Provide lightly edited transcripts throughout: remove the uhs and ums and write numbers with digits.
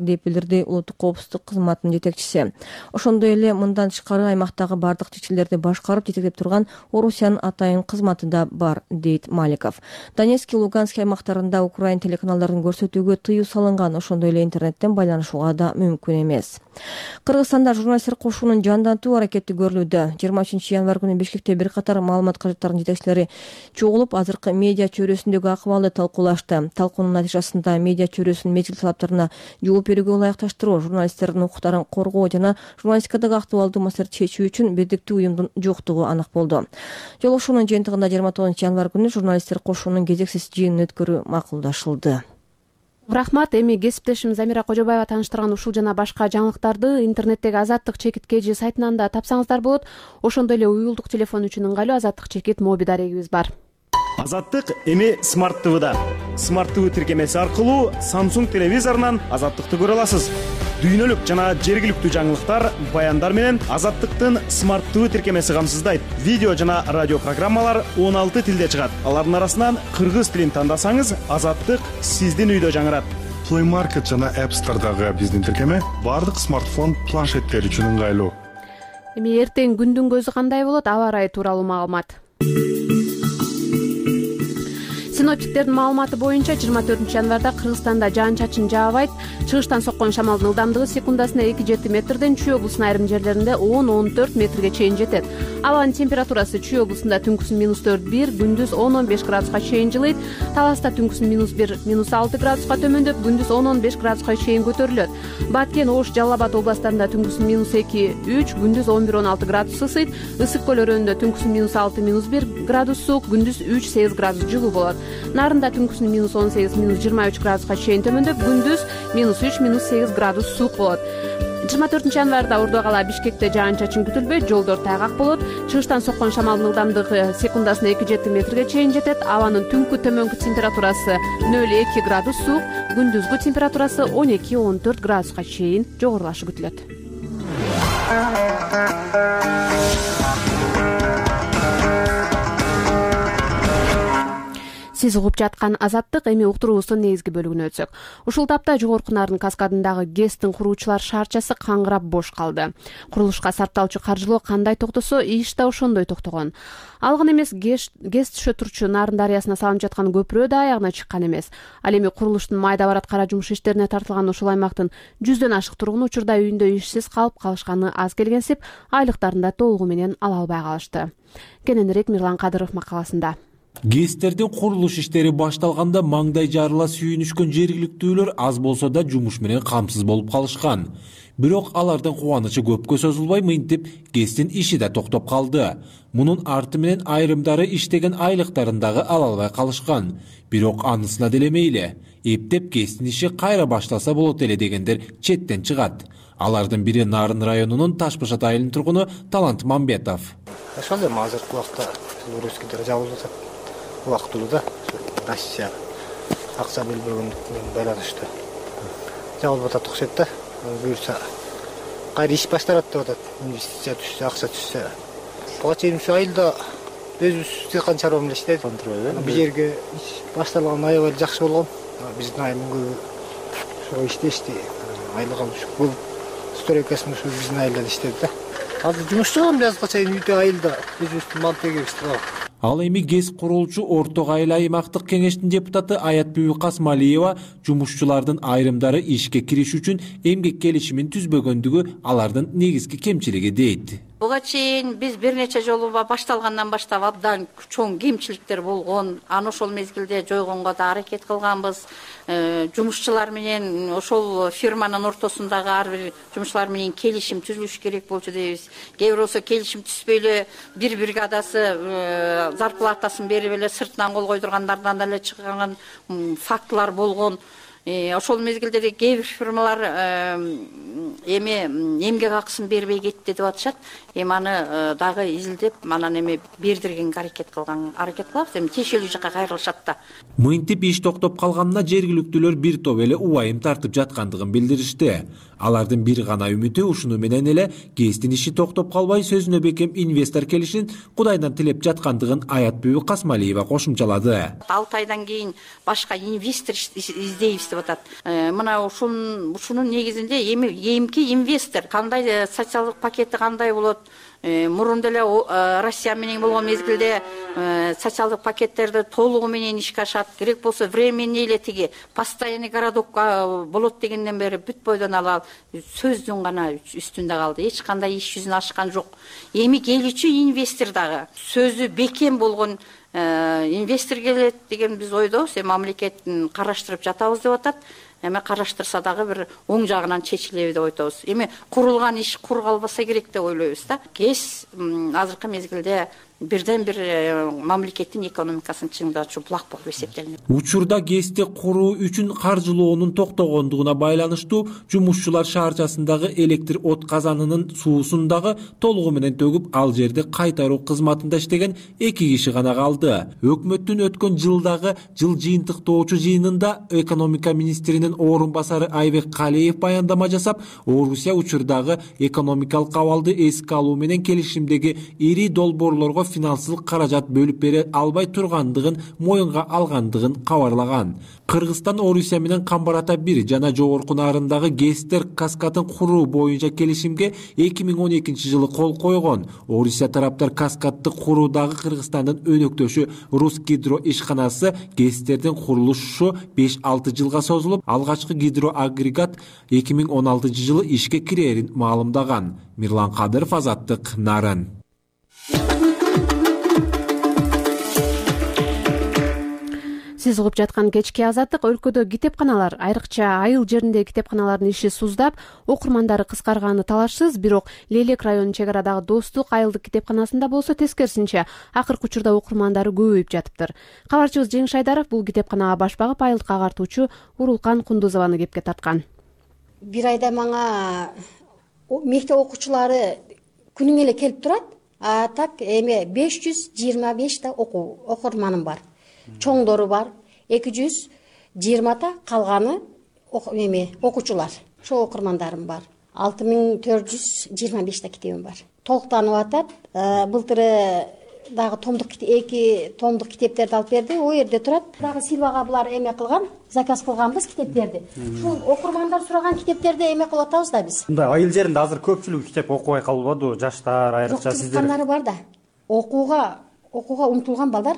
деп билдирди улуттук коопсуздук кызматынын жетекчиси. Ошондой эле мындан тышкары аймактагы бардык чечилерди башкарып жетектеп турган Орусиянын атайын кызматы да бар, дейт Маликов. Донецк, Луганск аймактарында Украин телеканалдарын көрсөтүүгө тыюу салынган, ошондой эле интернеттен байланышууга да мүмкүн эмес. Кыргызстанда журналисттер кошуунун жандантуу аракети көрүлүүдө. 23 январь күнү Бишкекте бир катар маалымат каражаттарынын жетекчилери чогулуп, азыркы медиа чөйрөсүндөгү акыбалды талкуулашты. Талкуунун натыйжасында медиа чөйрөсүнүн мезгил талаптарына жооп берүүгө ылайыкташтыруу, журналисттердин укуктарын коргоо жана журналистикадагы актуалдуу маселелерди чечүү үчүн бирдиктүү уюмдун жоктугу анак болду. Жолугушуунун жыйынтыгында 29 январь күнү журналисттер кошуунун кезексиз жыйынын өткөрүү макулдашылды. Рахмат. Эми кесиптешим Замира Кожобаева тааныштырган ушул жана башка жаңылыктарды интернеттеги Азаттык чекит KG сайтынан да тапсаңыздар болот. Ошондой эле уюлдук телефон үчүн ыңгайлуу Азаттык чекит моби дарегибиз бар. Азаттык эми Smart TV'да. Smart TV тиркемеси аркылуу Samsung телевизорунан Азаттыкты көрө аласыз. Дүйнөлүк жана жергиликтүү жаңылыктар, баяндар менен Азаттыктын Smart TV тиркемеси камсыздайт. Видео жана радио программалар 16 тилде чыгат. Алардын арасынан кыргыз тилин тандасаңыз, Азаттык сиздин үйдө жаңырат. Play Market жана App Store'дагы биздин тиркеме бардык смартфон, планшеттер үчүн ыңгайлуу. Эми эртең күндүн көзү кандай болот? Аба ырайы тууралуу маалымат. Синоптиктердин маалыматы боюнча 24 январда Кыргызстанда жаан-чачын жаабайт. Чыгыштан соккон шамалдын ылдамдыгы секундасына 2-7 метрден, Чүй облусунун айрым жерлеринде 10-14 метрге чейин жетет. Абанын температурасы Чүй облусунда түнкүсүн -4-1, күндүз 10-15 градуска чейин жылыйт. Таласта түнкүсүн -1, -6 градуска төмөндөп, күндүз 10-15 градуска чейин көтөрүлөт. Баткен, Ош, Жалал Абад областарында түнкүсүн -2-3, күндүз 11-16 градус ысыйт. Ысык көл өрөөнүндө түнкүсүн -6-1 градус суук, күндүз 3-8 градус жылуу болот. Нарында түнкүсүн -18-23 градуска чейин төмөндөп, күндүз -3-8 градус суук болот. 24 январда Ордо кала Бишкекте жаан-чачын күтүлбөйт, жолдор тайгак болот. Чыгыштан соккон шамалдын ылдамдыгы секундасына 2-7 метрге чейин жетет. Абанын түнкү төмөнкү температурасы 0-2 градус суук, күндүзгү температурасы 12-14 градуска чейин жогорулашы күтүлөт. Сиз угуп жаткан Азаттык. Эми уктуруубуздун негизги бөлүгүнө өтсөк. Ушул тапта Жогорку Нарын каскадындагы ГЭСтин куруучулар шаарчасы каңгырап бош калды. Курулушка сарпталчу каржылоо кандай токтосо, иш да ошондой токтогон. Ал гана эмес, ГЭС түшө турчу Нарын дарыясына салынып жаткан көпүрө да аягына чыккан эмес. Ал эми курулуштун майда барат кара жумуш иштерине тартылган ушул аймактын 100дөн ашык тургуну учурда үйүндө ишсиз калып калышканы аз келгенсип, айлыктарын да толугу менен ала албай калышты. Кененирээк Мирлан Кадыров макаласында. ГЭСтердин курулуш иштери башталганда маңдай жарыла сүйүнүшкөн жергиликтүүлөр аз болсо да жумуш менен камсыз болуп калышкан. Бирок алардын кубанычы көпкө созулбай, мынтип ГЭСтин иши да токтоп калды. Мунун арты менен айрымдары иштеген айлыктарын дагы ала албай калышкан. Бирок анысына деле мейли. Эптеп ГЭСтин иши кайра башталса болот эле дегендер четтен чыгат. Алардын бири Нарын районунун Таш Башат айылынын тургуну Талант Мамбетов. Ошондой азыркы убакта Өрөскүдө жабылып жатат. Убактылуу да Россия акча бербегендик менен байланыштуу жабылып атат окшойт да. Буюрса кайра иш башталат деп атат. Инвестиция түшсө, акча түшсө. Буга чейин ушу айылда өзүбүз дыйкан чарба менен иштедик. Бул жерге иш башталган аябай жакшы болгон. Биздин айылдын көбү ошого иштешти. Айлык алып көп стройкасын ушу биздин айылда иштеди да. Азыр жумушчу биязга чейин үйдө айылда өзүбүздүн мал тегебизди. Ал эми ГЭС курулчу Орто айыл аймактык кеңештин депутаты Аятбүбү Касмалиева жумушчулардын айрымдары ишке кириш үчүн эмгек келишимин түзбөгөндүгү алардын негизги кемчилиги дейт. Буга чейин биз бир нече жолу башталгандан баштап абдан чоң кемчиликтер болгон. Аны ошол мезгилде жойгонго да аракет кылганбыз. Жумушчулар менен ошол фирманын ортосундагы ар бир жумушчулар менен келишим түзүлүш керек болчу дейбиз. Кээ бир болсо келишим түзбөй эле бир бригадасы зарплатасын берип эле сыртынан кол койдургандардан деле чыккан фактылар болгон. Ошол мезгилде кээ бир фирмалар эми эмгек акысын бербей кетти деп атышат. Эми аны дагы изилдеп, анан эми бердиргенге аракет кылабыз. Эми тиешелүү жакка кайрылышат да. Мынтип иш токтоп калганына жергиликтүүлөр бир топ эле убайым тартып жаткандыгын билдиришти. Алардын бир гана үмүтү ушуну менен эле ГЭСтин иши токтоп калбай, сөзүнө бекем инвестор келишин Кудайдан тилеп жаткандыгын Аятбүбү Касмалиева кошумчалады. 6 айдан кийин башка инвестор издейбиз деп деп атат. Мына ушунун негизинде эмки инвестор кандай социалдык пакети кандай болот? Мурун деле Россия менен болгон мезгилде социалдык пакеттерди толугу менен ишке ашат. Керек болсо временный эле тиги постоянный городок болот дегенден бери бүт бойдон алып сөздүн гана үстүндө калды. Эч кандай иш жүзүнө ашкан жок. Эми келүүчү инвестор дагы сөзү бекем болгон инвестор келет деген биз ойдобуз. Мамлекет караштырып жатабыз деп атат. Эми караштырса дагы бир оң жагынан чечилеби деп ойтобуз. Эми курулган иш кур калбаса керек деп ойлойбуз да. КЭС азыркы мезгилде бирден бир мамлекеттин экономикасын чыңдоочу булак болуп эсептелинет. Учурда КЭСти куруу үчүн каржылоонун токтогондугуна байланыштуу жумушчулар шаарчасындагы электр от казанынын суусун дагы толугу менен төгүп, ал жерди кайтаруу кызматында иштеген 2 киши гана калды. Өкмөттүн өткөн жылдагы жыл жыйынтыктоочу жыйынында экономика министринин орун басары Айбек Калиев баяндама жасап, Орусия учурдагы экономикалык абалды эске алуу менен келишимдеги ири долбоорлорго финансылык каражат бөлүп бере албай тургандыгын моюнга алгандыгын кабарлаган. Кыргызстан Орусия менен Камбар Ата 1 жана жогорку нарындагы ГЭСтер каскадын куруу боюнча келишимге 2012 жылы кол койгон. Орусия тараптар каскадды куруудагы Кыргызстандын өнөктөшү Русгидро ишканасы ГЭСтердин курулушу 5-6 жылга созулуп, алгачкы гидроагрегат 2016 жылы ишке кирерин маалымдаган. Мирлан Кадыров, Азаттык, Нарын. Сиз угуп жаткан кечки Азаттык. Өлкөдө китепканалар, айрыкча айыл жериндеги китепканалардын иши суздап, окурмандары кыскарганы талашсыз, бирок Лелек районунун чек арадагы Достук айылдык китепканасында болсо тескерисинче акыркы учурда окурмандары көбөйүп жатыптыр. Кабарчыбыз Жеңиш Айдаров бул китепканага баш багып, айылдык агартуучу Урулкан Кундузованы кепке тарткан. Бир айда мага мектеп окуучулары күнүң эле келип турат. Так эми 525 та окурманым бар. Чоңдору бар 220 та, калганы окуучулар. Ошол окурмандарым бар. 6425 та китебим бар. Толуктанып атат. Былтыры дагы эки томдук китептерди алып берди. О жерде турат. Дагы Силвага булар эме кылган, заказ кылганбыз китептерди. Ушул окурмандар сураган китептерди эме кылып атабыз да биз. Мындай айыл жеринде азыр көпчүлүк китеп окубай калбадыбы? Жаштар, айрыкча сиздер. Кызыккандары бар да. Окууга умтулган балдар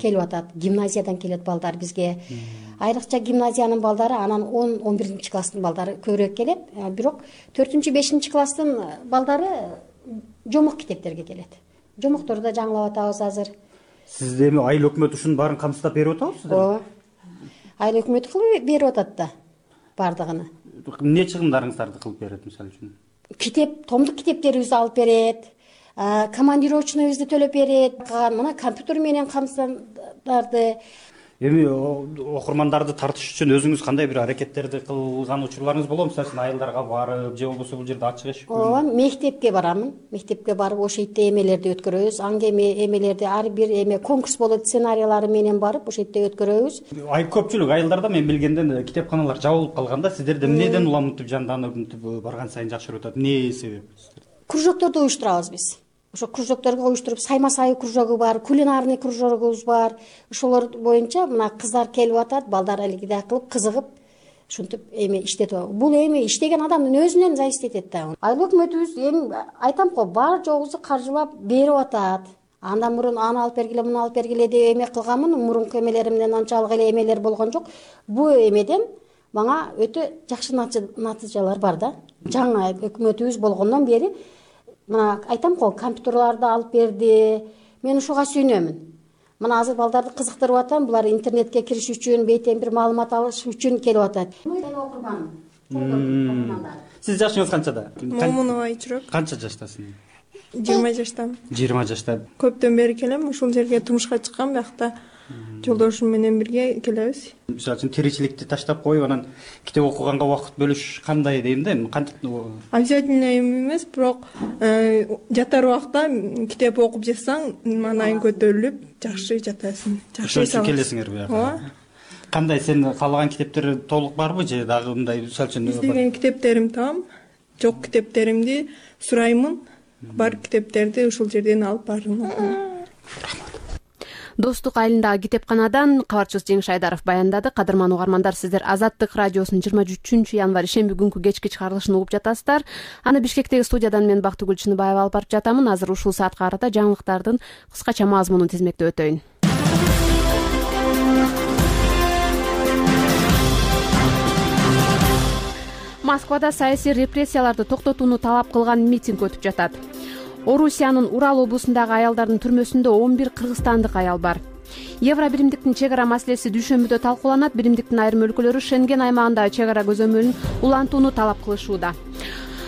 келип атат. Гимназиядан келет балдар бизге. Айрыкча гимназиянын балдары, анан 10-11 класстын балдары көбүрөөк келет. Бирок 4-5 класстын балдары жомок китептерге келет. Жомокторду да жаңылап атабыз азыр. Сиз эми айыл өкмөт ушунун баарын камсыздап берип атабызбы? Ооба. Айыл өкмөт кылып берип атат да бардыгын. Эмне чыгымдарыңыздарды кылып берет мисалы үчүн? Томдук китептерибизди алып берет. Командировочныйыбызды төлөп берет. Мына компьютер менен камсыздарды. Эми окурмандарды тартыш үчүн өзүңүз кандай бир аракеттерди кылган учурларыңыз болобу? Мисалы үчүн айылдарга барып, же болбосо бул жерде ачык эшик? Ооба, мектепке барамын. Мектепке барып, ошол жерде эмелерди өткөрөбүз. Эмелерди ар бир конкурс болот, сценарийлары менен барып, ошол жерде өткөрөбүз. Көпчүлүк айылдарда мен билгенден китепканалар жабылып калганда, сиздерде эмнеден уламытып жанданып барган сайын жакшырып атат? Эмне себеп? Кружокторду уюштурабыз биз. Ошо кружокторго уюштуруп, сайма сайы кружогу бар, кулинарный кружогубуз бар. Ошолор боюнча мына кыздар келип атат, балдар элгидей кылып, кызыгып, ушинтип иштетип атат. Бул иштеген адамдын өзүнөн зависит этет да. Айыл өкмөтүбүз айтам го, бар жогубузду каржылап берип атат. Андан мурун аны алып бергиле, муну алып бергиле деп кылганмын. Мурунку эмелеримден анчалык эле эмелер болгон жок. Бул эмеден мага өтө жакшы натыйжалар бар да. Жаңа өкмөтүбүз болгондон бери мына айтам го, компьютерларды алып берди. Мен ушуга сүйүнөмүн. Мына азыр балдарды кызыктырып атам, булар интернетке кириш үчүн, бейтен бир маалымат алыш үчүн келип атат. Сиз жашыңыз канчада? Момунова Айчурак. Канча жаштасың? 20 жаштамын. 20 жашта. Көптөн бери келем, ушул жерге турмушка чыккан, биякта жолдошум менен бирге келебиз. Мисалы үчүн тиричиликти таштап коюп, анан китеп окуганга убакыт бөлүш кандай дейм да? Обязательно эмес, бирок жатар убакта китеп окуп жатсаң, маанайың көтөрүлүп, жакшы жатасың. Жакшы келесиңер бияка. Ооба. Кандай сен каалаган китептер толук барбы же дагы мындай мисалы үчүн? Издеген китептерим там, жок китептеримди сураймын. Бар китептерди ушул жерден алып барып окуйм. Достук айылындагы китепканадан кабарчыбыз Жеңиш Айдаров баяндады. Кадырман угармандар, сиздер Азаттык радиосунун 23 январь шемби күнкү кечки чыгарылышын угуп жатасыздар. Аны Бишкектеги студиядан мен Бактыгүл Чыныбаева алып барып жатамын. Азыр ушул саатка карата жаңылыктардын кыскача мазмунун тизмектеп өтөйүн. Москвада саясий репрессияларды токтотууну талап кылган митинг өтүп жатат. Орусиянын Урал облусундагы аялдардын түрмөсүндө 11 кыргызстандык аял бар. Евро биримдиктин чек ара маселеси дүйшөмбүдө талкууланат. Биримдиктин айрым өлкөлөрү Шенген аймагындагы чек ара көзөмөлүн улантууну талап кылышууда.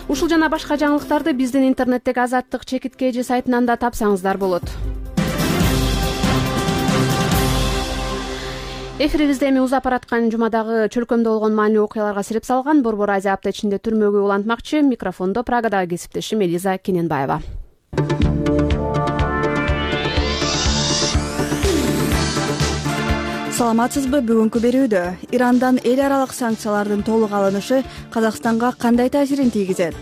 Ушул жана башка жаңылыктарды биздин интернеттеги Азаттык чекит KG сайтынан да тапсаңыздар болот. Эфирибизде эми узап бараткан жумадагы чөлкөмдө болгон маанилүү окуяларга сирип салган Борбор Азия апта ичинде түрмөгө улантмакчы. Микрофондо Прагадагы кесиптешим Элиза Кененбаева. Саламатсызбы? Бүгүнкү берүүдө Ирандан эл аралык санкциялардын толук алынышы Казакстанга кандай таасирин тийгизет?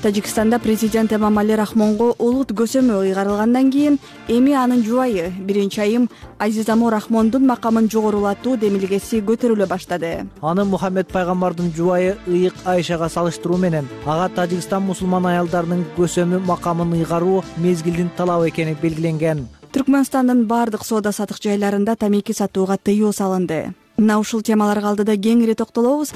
Тажикстанда президент Эмомали Рахмонго улут көсөмү ыйгарылгандан кийин эми анын жубайы биринчи айым Азизамо Рахмондун макамын жогорулатуу демилгеси көтөрүлө баштады. Аны Мухаммед пайгамбардын жубайы ыйык Айшага салыштыруу менен ага Тажикстан мусулман аялдарынын көсөмү макамын ыйгаруу мезгилдин талабы экени белгиленген. Түркмөнстандын бардык соода сатык жайларында тамеки сатууга тыюу салынды. Мына ушул темаларга алдыда кеңири токтолобуз.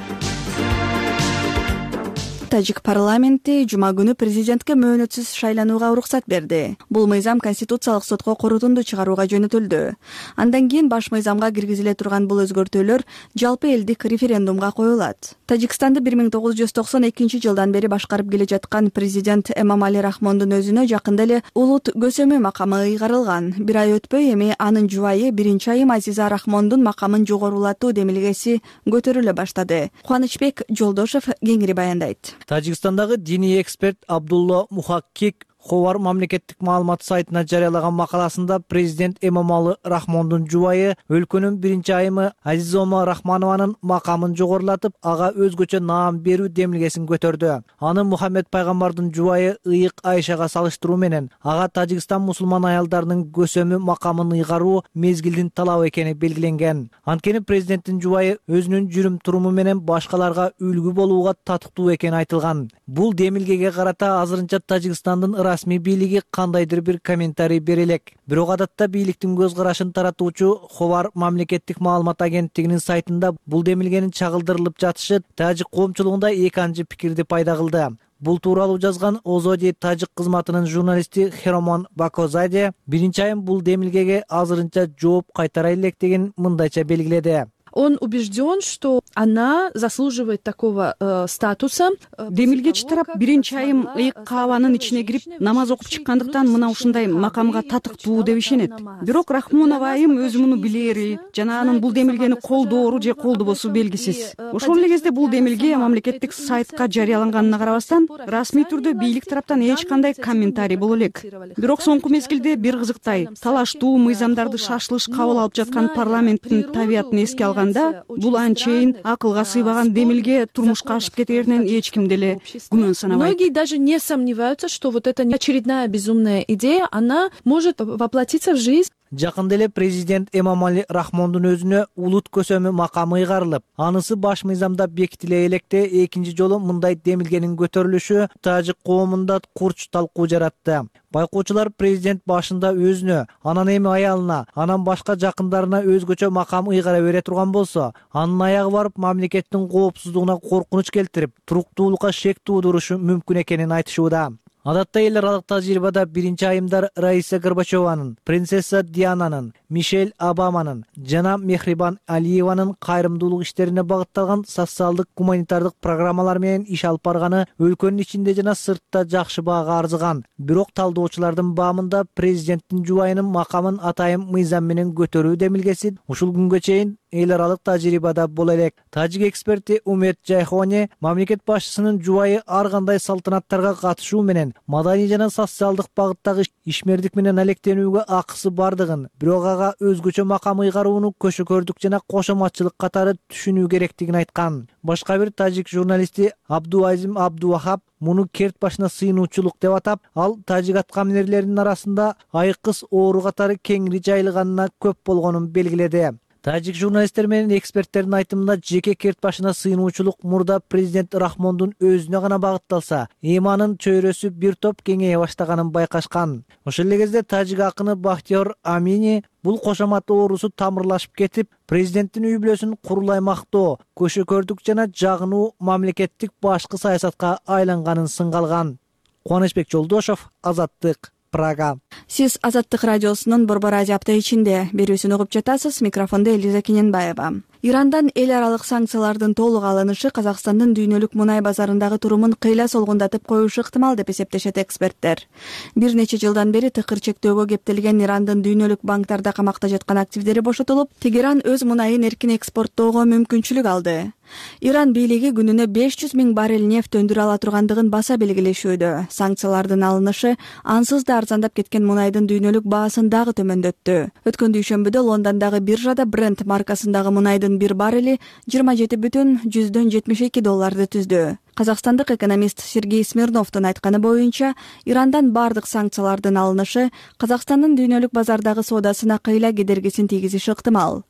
Тажик парламенти жума күнү президентке мөөнөтсүз шайланууга уруксат берди. Бул мыйзам Конституциялык сотко корутунду чыгарууга жөнөтүлдү. Андан кийин баш мыйзамга киргизиле турган бул өзгөртүүлөр жалпы элдик референдумга коюлат. Тажикстанды 1992 жылдан бери башкарып келе жаткан президент Эмомали Рахмондун өзүнө жакында эле улут көсөмү макамы ыйгарылган. Бир ай өтпөй эми анын жубайы биринчи айым Азиза Рахмондун макамын жогорулатуу демилгеси көтөрүлө баштады. Кубанычбек Жолдошов кеңири баяндайт. Тажикстандагы диний эксперт Абдулла Мухаккик Ховар мамлекеттик маалымат сайтына жарыялаган макаласында президент Эмомали Рахмондун жубайы өлкөнүн биринчи айымы Азизома Рахманованын макамын жогорулатып, ага өзгөчө наам берүү демилгесин көтөрдү. Аны Мухаммед пайгамбардын жубайы ыйык Айшага салыштыруу менен ага Тажикстан мусулман аялдарынын көсөмү макамын ыйгаруу мезгилдин талабы экени белгиленген. Анткени президенттин жубайы өзүнүн жүрүм туруму менен башкаларга үлгү болууга татыктуу экени айтылган. Бул демилгеге карата азырынча Тажикстандын расмий бийлиги кандайдыр бир комментарий бере элек. Бирок адатта бийликтин көз карашын таратуучу Ховар мамлекеттик маалымат агенттигинин сайтында бул демилгенин чагылдырылып жатышы тажик коомчулугунда эки анчы пикирди пайда кылды. Бул тууралуу жазган Озоди тажик кызматынын журналисти Херомон Бакозаде биринчи айым бул демилгеге азырынча жооп кайтара электигин мындайча белгиледи. Он убежден, что она заслуживает такого статуса. Демилгечи тарап биринчи айым ыйык каабанын ичине кирип намаз окуп чыккандыктан мына ушундай макамга татыктуу деп ишенет. Бирок Рахмонова айым өзү муну билери жана анын бул демилгени колдоору же колдобосу белгисиз. Ошол эле кезде бул демилге мамлекеттик сайтка жарыяланганына карабастан расмий түрдө бийлик тараптан эч кандай комментарий боло элек. Бирок соңку мезгилде бир кызыктай талаштуу мыйзамдарды шашылыш кабыл алып жаткан парламенттин табиятын эске алган бул анчейин акылга сыйбаган демилге турмушка ашып кетеринен эч ким деле күмөн санабайт. Многие даже не сомневаются, что вот эта очередная безумная идея, она может воплотиться в жизнь. Жакында эле президент Эмомали Рахмондун өзүнө улут көсөмү макамы ыйгарылып, анысы баш мыйзамда бекитиле электе экинчи жолу мындай демилгенин көтөрүлүшү тажик коомунда курч талкуу жаратты. Байкоочулар президент башында өзүнө, анан эми аялына, анан башка жакындарына өзгөчө макам ыйгара бере турган болсо, анын аягы барып мамлекеттин коопсуздугуна коркунуч келтирип, туруктуулукка шек туудурушу мүмкүн экенин айтышууда. Адатта эл аралык тажрыйбада биринчи айымдар Раиса Горбачеванын, принцесса Диананын, Мишель Обаманын жана Мехрибан Алиеванын кайрымдуулук иштерине багытталган социалдык гуманитардык программалар менен иш алып барганы өлкөнүн ичинде жана сыртта жакшы баага арзыган. Бирок талдоочулардын баамында президенттин жубайынын макамын атайын мыйзам менен көтөрүү демилгеси ушул күнгө чейин эл аралык тажрыйбада боло элек. Тажик эксперти Умет Жайхоне мамлекет башчысынын жубайы ар кандай салтанаттарга катышуу менен маданий жана социалдык багыттагы ишмердик менен алектенүүгө акысы бардыгын, бирок ага өзгөчө макам ыйгарууну көшөкөрдүк жана кошоматчылык катары түшүнүү керектигин айткан. Башка бир тажик журналисти Абдуазим Абдувахап муну керт башына сыйынуучулук деп атап, ал тажик аткаминерлеринин арасында айкыз оору катары кеңири жайылганына көп болгонун белгиледи. Тажик журналисттер менен эксперттердин айтымында жеке керт башына сыйынуучулук мурда президент Рахмондун өзүнө гана багытталса, эми анын чөйрөсү бир топ кеңейе баштаганын байкашкан. Ошол эле кезде тажик акыны Бахтиёр Амини бул кошомат оорусу тамырлашып кетип, президенттин үй бүлөсүн курулай мактоо, көшөкөрдүк жана жагынуу мамлекеттик башкы саясатка айланганын сынгалган. Кубанычбек Жолдошов, Азаттык, Прага. Сиз Азаттык радиосунун Борбор Азия апта ичинде берүүсүн угуп жатасыз. Микрофондо Элиза Кененбаева. Ирандан эл аралык санкциялардын толук алынышы Казакстандын дүйнөлүк мунай базарындагы турумун кыйла солгундатып коюшу ыктымал деп эсептешет эксперттер. Бир нече жылдан бери тыкыр чектөөгө кептелген Ирандын дүйнөлүк банктарда камакта жаткан активдери бошотулуп, Тегеран өз мунайын эркин экспорттоого мүмкүнчүлүк алды. Иран бийлиги күнүнө 500 000 баррель нефть өндүрө ала тургандыгын баса белгилешүүдө. Санкциялардын алынышы ансыз да арзандап кеткен мунайдын дүйнөлүк баасын дагы төмөндөттү. Өткөн дүйшөмбүдө Лондондогу биржада Brent маркасындагы мунайдын бир баррели $27,72 түздү. Казакстандык экономист Сергей Смирновдун айтканы боюнча, Ирандан бардык санкциялардын алынышы Казакстандын дүйнөлүк базардагы соодасына кыйла кедергисин тийгизиши ыктымал.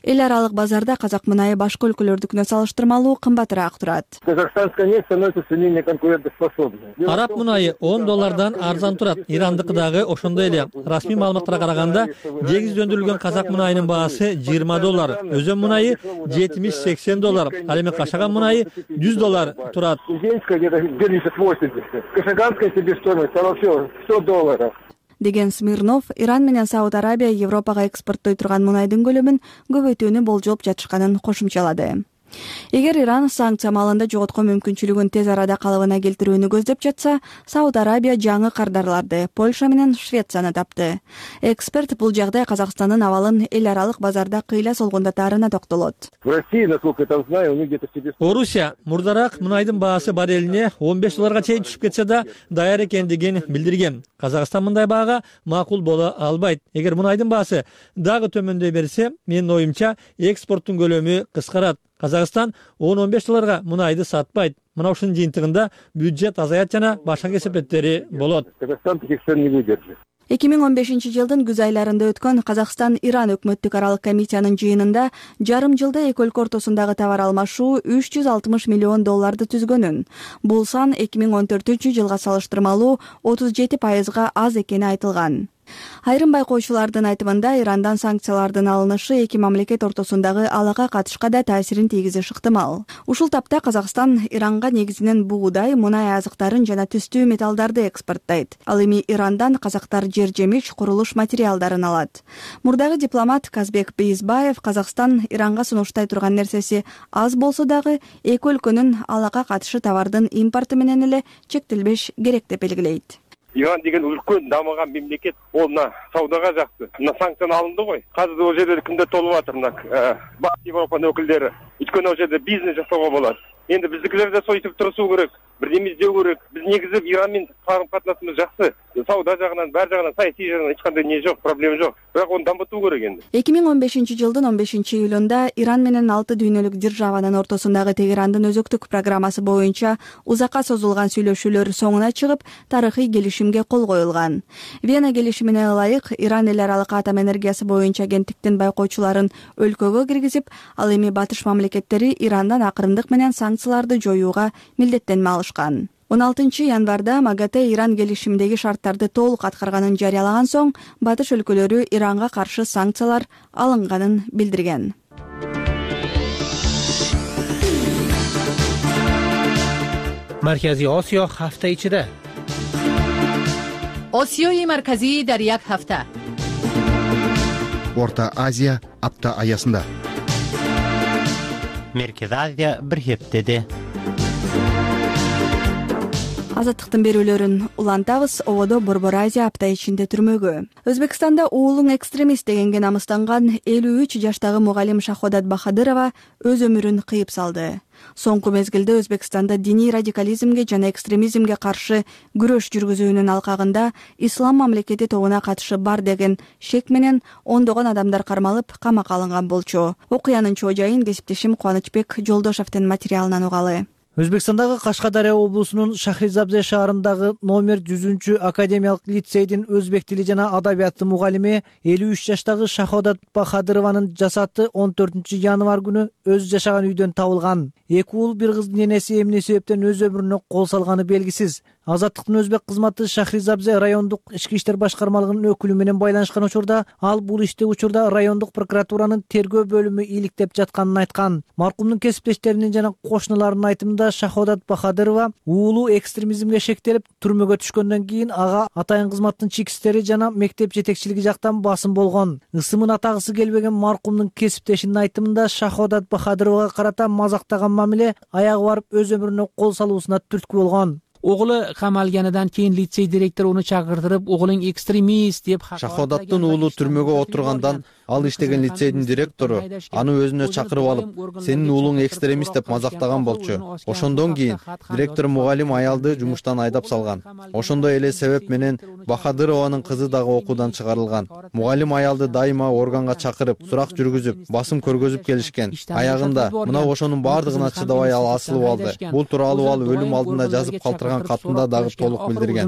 Эл аралык базарда казак мунайы башка өлкөлөрдүкүнө салыштырмалуу кымбатыраак турат. Казахстанская нефть становится все менее конкурентоспособной. Араб мунайы $10 арзан турат. Ирандыкы дагы ошондой эле. Расмий маалыматтарга караганда, дегиз өндүрүлгөн казак мунайынын баасы $20, өзөн мунайы $70-80, ал эми кашаган мунайы $100 турат. Кузенская где-то $70-80. Кашаганская себестоимость вообще $100. Деген Смирнов Иран менен Сауд Арабия Европага экспорттой турган мунайдын көлөмүн көбөйтүүнү болжоп жатышканын кошумчалады. Эгер Иран санкция маалында жоготкон мүмкүнчүлүгүн тез арада калыбына келтирүүнү көздөп жатса, Сауд Арабия жаңы кардарларды Польша менен Швецияны тапты. Эксперт бул жагдай Казакстандын абалын эл аралык базарда кыйла солгундатаарына токтолот. В России, насколько я там знаю, у них где-то себе... Орусия мурдараак мунайдын баасы баррелине $15 чейин түшүп кетсе да даяр экендигин билдирген. Казакстан мындай баага макул боло албайт. Эгер мунайдын баасы дагы төмөндөй берсе, менин оюмча экспорттун көлөмү кыскарат. Казакстан $10-15 мунайды сатпайт. Мына ушунун жыйынтыгында бюджет азаят жана башка кесепеттери болот. Казакстан таких цен не выдержит. 2015 жылдын күз айларында өткөн Казакстан-Иран өкмөттүк аралык комиссиянын жыйынында жарым жылда эки өлкө ортосундагы товар алмашуу $360 миллион түзгөнүн. Бул сан 2014-жылга салыштырмалуу 37% аз экени айтылган. Айрым байкоочулардын айтымында Ирандан санкциялардын алынышы эки мамлекет ортосундагы алака катышка да таасирин тийгизиши ыктымал. Ушул тапта Казакстан Иранга негизинен буудай, мунай азыктарын жана түстүү металлдарды экспорттойт. Ал эми Ирандан казактар жер-жемиш, курулуш материалдарын алат. Мурдагы дипломат Казбек Бейизбаев Казакстан Иранга сунуштай турган нерсеси аз болсо дагы эки өлкөнүн алака катышы товардын импорты менен эле чектелбеш керек деп белгилейт. Иран деген үлкен дамыган мемлекет, ол мына саудага жакты. Мына санкция алынды ғой. Казір ол жерде кимдер толуп атыр, мына Батыс Европанын өкүлдөрү. Өйткөнү ол жерде бизнес жасоого болот. Енді біздікілер де сойтып тұрысу керек, бірдеме іздеу керек. Біз негізі Иранмен қарым-қатынасымыз жақсы. Сауда жағынан, бәр жағынан, саяси жағынан ешқандай не жоқ, проблема жоқ. Бірақ оны дамыту керек енді. 2015 жылдын 15 июлунда Иран менен 6 дүйнөлүк державанын ортосундагы Тегерандын өзөктүк программасы боюнча узакка созулган сүйлөшүүлөр соңуна чыгып, тарыхый келишимге кол коюлган. Вена келишимине ылайык Иран эл аралык атом энергиясы боюнча агенттиктин байкоочуларын өлкөгө киргизип, ал эми батыш мамлекеттери Ирандан акырындык менен санкцияларды жоюуга милдеттенме алышкан. 16 январда МАГАТЭ Иран келишимдеги шарттарды толук аткарганын жарыялаган соң, батыш өлкөлөрү Иранга каршы санкциялар алынганын билдирген. Маркази Осиё ҳафта ичида. Осиёи марказӣ дар як ҳафта. Орта Азия апта аясында. Меркези Азия бир хептеде. Азаттыктын берүүлөрүн улантабыз. Ободо Борбор Азия апта ичинде түрмөгө. Өзбекстанда уулуң экстремист дегенге намыстанган 53 жаштагы мугалим Шаходат Бахадырова өз өмүрүн кыйып салды. Соңку мезгилде Өзбекстанда диний радикализмге жана экстремизмге каршы күрөш жүргүзүүнүн алкагында ислам мамлекети тобуна катышы бар деген шек менен ондогон адамдар кармалып камакка алынган болчу. Окуянын чоо жайын кесиптешим Кубанычбек Жолдошевдин материалынан угалы. Өзбекстандагы Кашкадария облусунун Шахризабзе шаарындагы номер 100 академиялык лицейдин өзбек тили жана адабияты мугалими 53 жаштагы Шаходат Бахадырованын жасаты 14 январь күнү өз жашаган үйдөн табылган. Эки уул бир кыздын энеси эмне себептен өз өмүрүнө кол салганы белгисиз. Азаттыктын өзбек кызматы Шахризабзе райондук ички иштер башкармалыгынын өкүлү менен байланышкан учурда ал бул ишти учурда райондук прокуратуранын тергөө бөлүмү иликтеп жатканын айткан. Маркумдун кесиптештеринин жана кошуналарынын айтымында Шаходат Бахадырова уулу экстремизмге шектелип түрмөгө түшкөндөн кийин ага атайын кызматтын чекистери жана мектеп жетекчилиги жактан басым болгон. Ысымын атагысы келбеген маркумдун кесиптешинин айтымында Шаходат Бахадыровага карата мазактаган мамиле аягы барып өз өмүрүнө кол салуусуна түрткү болгон. O'g'li qamalganidan keyin litsey direktori uni chaqirtirib, o'g'ling ekstremist deb Шаходаттын уулу түрмөгө отургандан ал иштеген лицейдин директору аны өзүнө чакырып алып, сенин уулуң экстремист деп мазактаган болчу. Ошондон кийин директор мугалим аялды жумуштан айдап салган. Ошондой эле себеп менен Бахадырованын кызы дагы окуудан чыгарылган. Мугалим аялды дайыма органга чакырып, сурак жүргүзүп, басым көргөзүп келишкен. Аягында мына ошонун баардыгына чыдабай ал асылып алды. Бул тууралуу ал өлүм алдында жазып калтырган катында дагы толук билдирген.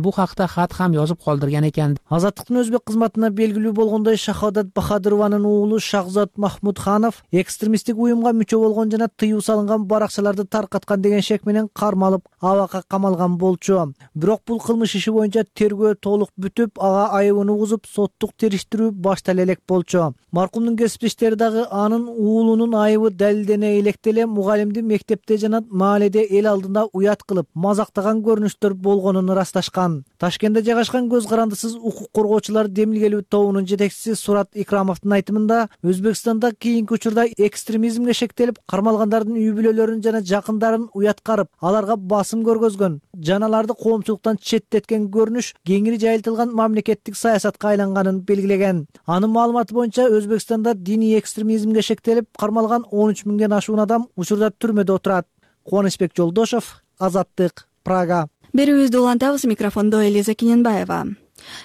Bu haqda xat ham yozib qoldirgan ekan. Азаттыктын өзбек кызматына белгилүү болгондой Шаходат Бахадырованын уулу Шахзат Махмудханов экстремисттик уюмга мүчө болгон жана тыюу салынган баракчаларды таркаткан деген шек менен кармалып, абакка камалган болчу. Бирок бул кылмыш иши боюнча тергөө толук бүтүп, ага айыбын угузуп, соттук териштирүү баштала элек болчу. Маркумдун кесиптештери дагы анын уулунун айыбы далилдене электе эле мугалимди мектепте жана мааледе эл алдында уят кылып, мазактаган көрүнүштөр болгонун ырасташкан. Ташкентте жайгашкан көз карандысыз укук коргоочулар демилгелүү тобунун жетекчиси Сурат Икрамовдун айтымында, Өзбекстанда кийинки учурда экстремизмге шектелип, кармалгандардын үй бүлөлөрүн жана жакындарын уяткарып, аларга басым көргөзгөн, жаналарды коомчулуктан четтеткен көрүнүш кеңири жайылтылган мамлекеттик саясатка айланганын белгилеген. Анын маалыматы боюнча Өзбекстанда диний экстремизмге шектелип, кармалган 13 миңден ашуун адам учурда түрмөдө отурат. Кубанычбек Жолдошев, Азаттык, Прага. Берүүбүздү улантабыз, микрофондо Элиза Киненбаева.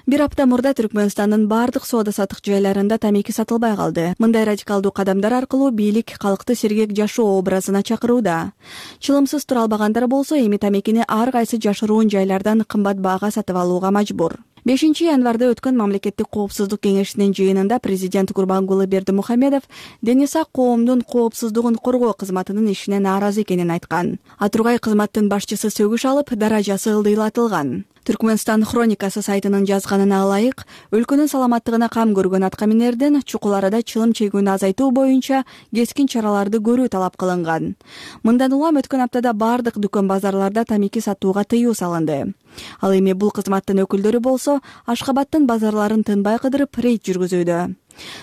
Бир апта мурда Түркмөнстандын бардык соода-саттык жайларында тамеки сатылбай калды. Мындай радикалдуу кадамдар аркылуу бийлик калкты сергек жашоо образына чакырууда. Чылымсыз тура албагандар болсо эми тамекини ар кайсы жашыруун жайлардан кымбат баага сатып алууга мажбур. 5 январда өткөн мамлекеттик коопсуздук кеңешинин жыйынында президент Гурбангулы Бердимухамедов Денисак коомдун коопсуздугун коргоо кызматынын ишине нааразы экенин айткан. Атургай кызматтын башчысы сөгүш алып, даражасы ылдыйлатылган. Түркмөнстан хроникасы сайтынын жазганына ылайык, өлкөнүн саламаттыгына кам көргөн аткаминердин чукул-арада чылым чегүүнү азайтуу боюнча кескин чараларды көрүү талап кылынган. Мындан улам өткөн аптада бардык дүкөн базарларда тамеки сатууга тыюу салынды. Ал эми бул кызматтын өкүлдөрү болсо Ашхабадтын базарларын тынбай кыдырып рейд жүргүзүүдө.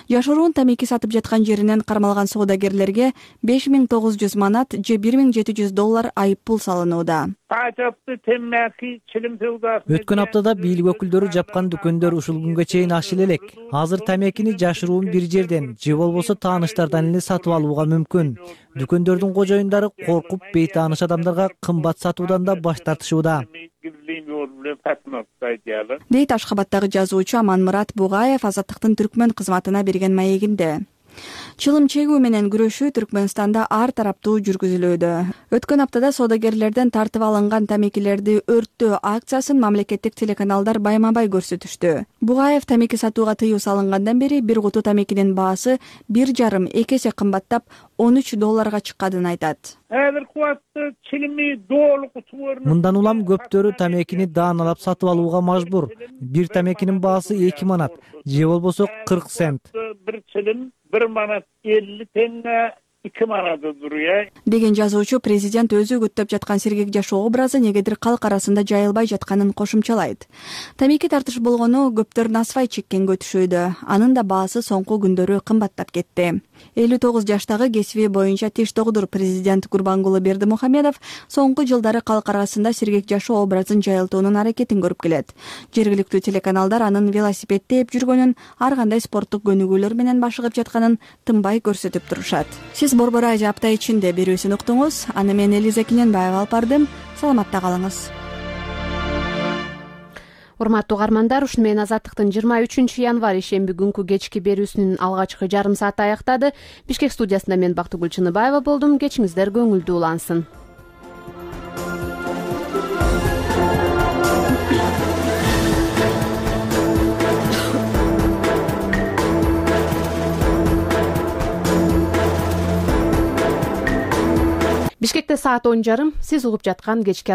Жашыруун тамеки сатып жаткан жеринен кармалган соодагерлерге 5900 манат же $1700 айып пул салынууда. Өткөн аптада бийлик өкүлдөрү жапкан дүкөндөр ушул күнгө чейин ачыла элек. Азыр тамекини жашыруун бир жерден же болбосо тааныштардан эле сатып алууга мүмкүн. Дүкөндөрдүн кожоюндары коркуп бейтааныш адамдарга кымбат сатуудан да баш тартышууда. Дейт Ашхабадтагы жазуучу Аманмурат Бугаев Азаттыктын түркмөн кызматына берген маегинде. Чылым чегүү менен күрөшүү Түркмөнстанда ар тараптуу жүргүзүлүүдө. Өткөн аптада соодагерлерден тартып алынган тамекилерди өрттөө акциясын мамлекеттик телеканалдар байма-бай көрсөтүштү. Бугаев тамеки сатууга тыюу салынгандан бери бир куту тамекинин баасы 1,5-2 эсе кымбаттап $13 чыкканын айтат. Мындан улам көптөрү тамекини дааналап сатып алууга мажбур. Бир тамекинин баасы 2 манат, же болбосо 40 цент. Bir çilim 1 manat 50 tenge 2 manata duruyor. Деген жазуучу президент өзү күттөп жаткан сергек жашоо образы негедир калк арасында жайылбай жатканын кошумчалайт. Тамеки тартыш болгону көптөр насвай чеккенге өтүшүүдө. Анын да баасы соңку күндөрү кымбаттап кетти. 59 жаштагы кесиби боюнча тиш доктору президент Гурбангулы Бердимухамедов соңку жылдары калк арасында сергек жашоо образын жайылтуунун аракетин көрүп келет. Жергиликтүү телеканалдар анын велосипед тээп жүргөнүн, ар кандай спорттук көнүгүүлөр менен башыгып жатканын тынбай көрсөтүп турушат. Сиз Борбор Радио апта ичинде берүүсүн уктуңуз. Аны мен Элиза Кененбаева алып бардым. Саламатта калыңыз. Урматтуу угармандар, ушуну менен Азаттыктын 23 январь ишемби күнкү кечки берүүсүнүн алгачкы жарым сааты аяктады. Бишкек студиясында мен Бактыгүл Чыныбаева болдум. Кечиңиздер көңүлдүү улансын. Бишкекте саат 10:30. Сиз угуп жаткан кечки